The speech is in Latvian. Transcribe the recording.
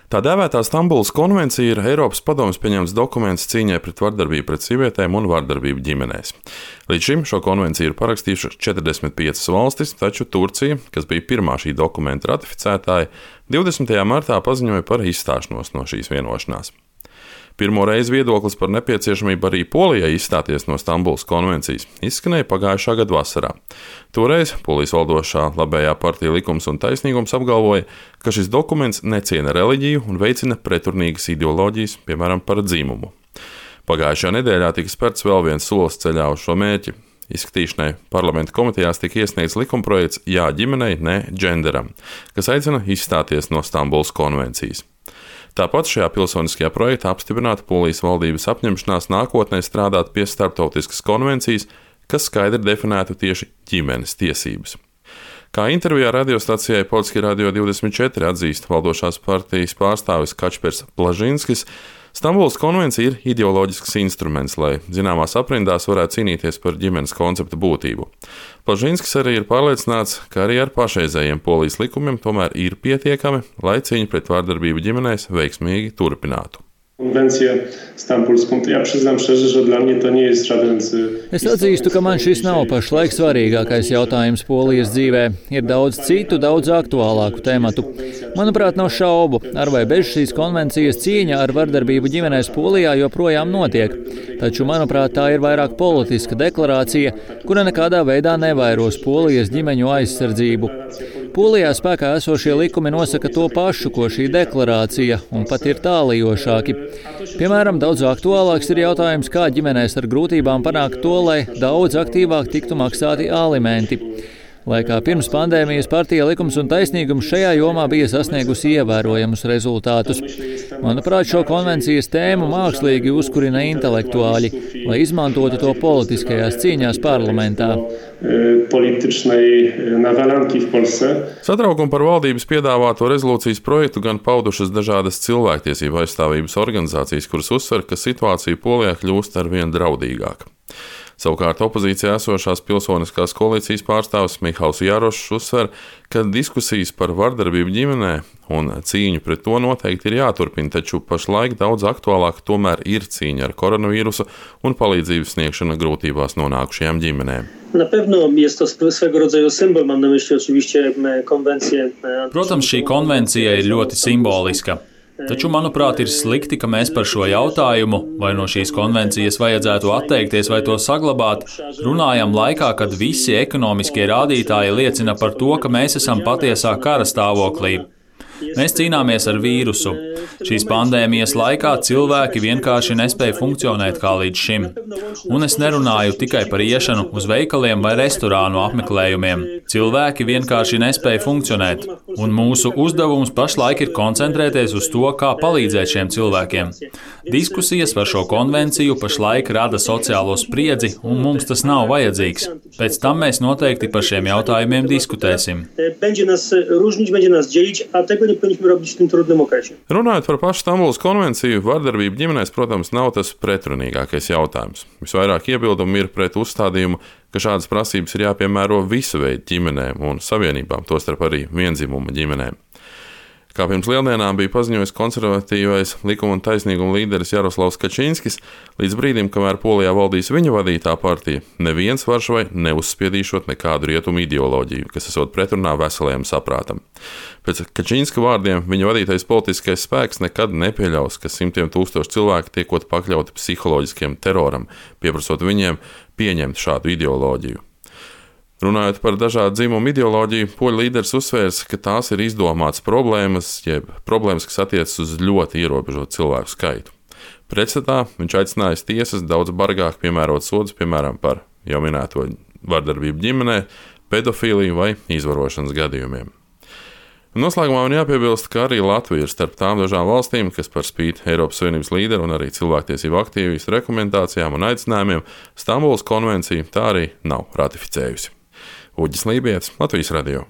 Tā dēvētā Stambulas konvencija ir Eiropas Padomes pieņemts dokuments cīņai pret vardarbību pret sievietēm un vardarbību ģimenēs. Līdz šim šo konvenciju ir parakstījušas 45 valstis, taču Turcija, kas bija pirmā šī dokumenta ratificētāja, 20. martā paziņoja par izstāšanos no šīs vienošanās. Pirmo reizi viedoklis par nepieciešamību arī Polijai izstāties no Stambulas konvencijas izskanēja pagājušā gada vasarā. Toreiz Polijas valdošā labējā partija Likums un taisnīgums apgalvoja, ka šis dokuments neciena reliģiju un veicina pretrunīgas ideoloģijas, piemēram, par dzimumu. Pagājušajā nedēļā tika spērts vēl viens solis ceļā uz šo mērķi. Izskatīšanai parlamenta komitejās tika iesniegts likumprojekts Jā ģimenei, ne dženderam, kas aicina izstāties no Stambulas konvencijas. Tāpat šajā pilsoniskajā projektā apstiprināta Polijas valdības apņemšanās nākotnē strādāt pie starptautiskas konvencijas, kas skaidri definētu tieši ģimenes tiesības. Kā intervijā radiostacijai Polski Radio 24 atzīst valdošās partijas pārstāvis Kačpers Blažinskis, Stambulas konvencija ir ideoloģisks instruments, lai zināmās aprindās varētu cīnīties par ģimenes konceptu būtību. Blažinskis arī ir pārliecināts, ka arī ar pašreizējiem Polijas likumiem tomēr ir pietiekami, lai cīņa pret vardarbību ģimenēs veiksmīgi turpinātu. Es atzīstu, ka man šis nav pašlaik svarīgākais jautājums Polijas dzīvē. Ir daudz citu, daudz aktuālāku tematu. Manuprāt, nav šaubu, ar vai bez šīs konvencijas cīņa ar vardarbību ģimenēs Polijā joprojām notiek. Taču, manuprāt, tā ir vairāk politiska deklarācija, kura nekādā veidā nevairos Polijas ģimeņu aizsardzību. Polijā spēkā esošie likumi nosaka to pašu, ko šī deklarācija, un pat ir tālajošāki. Piemēram, daudz aktuālāks ir jautājums, kā ģimenēs ar grūtībām panākt to, lai daudz aktīvāk tiktu maksāti alimenti. Lai kā pirms pandēmijas partija Likums un taisnīgums šajā jomā bija sasniegusi ievērojamus rezultātus. Manuprāt, šo konvencijas tēmu mākslīgi uzkurina intelektuāļi, lai izmantotu to politiskajās cīņās parlamentā. Satraukumu par valdības piedāvāto rezolūcijas projektu gan paudušas dažādas cilvēktiesību aizstāvības organizācijas, kuras uzsver, ka situācija Polijā kļūst arvien draudīgāka. Savukārt opozīcijā esošās pilsoniskās koalīcijas pārstāvis Mihals Jarošs uzsver, ka diskusijas par vardarbību ģimenē un cīņu pret to noteikti ir jāturpina, taču pašlaik daudz aktuālāk tomēr ir cīņa ar koronavīrusu un palīdzības sniegšana grūtībās nonākušajām ģimenēm. Protams, šī konvencija ir ļoti simboliska. Taču, manuprāt, ir slikti, ka mēs par šo jautājumu, vai no šīs konvencijas vajadzētu atteikties vai to saglabāt, runājam laikā, kad visi ekonomiskie rādītāji liecina par to, ka mēs esam patiesā kara stāvoklī. Mēs cīnāmies ar vīrusu. Šīs pandēmijas laikā cilvēki vienkārši nespēja funkcionēt kā līdz šim. Un es nerunāju tikai par iešanu uz veikaliem vai restorānu apmeklējumiem. Cilvēki vienkārši nespēja funkcionēt, un mūsu uzdevums pašlaik ir koncentrēties uz to, kā palīdzēt šiem cilvēkiem. Diskusijas par šo konvenciju pašlaik rada sociālo spriedzi, un mums tas nav vajadzīgs. Pēc tam mēs noteikti par šiem jautājumiem diskutēsim. Runājot par pašu Stambulas konvenciju, vardarbība ģimenēs, protams, nav tas pretrunīgākais jautājums. Visvairāk iebildumu ir pret uzstādījumu, ka šādas prasības ir jāpiemēro visu veidu ģimenēm un savienībām, tostarp arī vienzimuma ģimenēm. Kā pirms lieldienām bija paziņojis konservatīvais Likuma un taisnīguma līderis Jaroslavs Kačinskis, līdz brīdim, kamēr Polijā valdīs viņa vadītā partija, neviens Varšavai neuzspiedīšot nekādu rietumu ideoloģiju, kas esot pretrunā veselajam saprātam. Pēc Kačinska vārdiem viņa vadītais politiskais spēks nekad nepieļaus, ka simtiem tūkstoši cilvēku tiekot pakļauti psiholoģiskiem teroram, pieprasot viņiem pieņemt šādu ideoloģiju. Runājot par dažādu dzimumu ideoloģiju, poļu līderis uzsvērs, ka tās ir izdomātas problēmas, jeb problēmas, kas attiecas uz ļoti ierobežotu cilvēku skaitu. Pretstatā viņš aicinājis tiesas daudz bargāk piemērot sodus, piemēram, par jau minēto vardarbību ģimenē, pedofīliju vai izvarošanas gadījumiem. Noslēgumā man jāpiebilst, ka arī Latvija ir starp tām dažām valstīm, kas par spīti Eiropas Savienības līderu un arī cilvēktiesību aktīvistu rekomendācijām un aicinājumiem Stambulas konvenciju tā arī nav ratificējusi. Uģis Lībijams, Latvijas radio.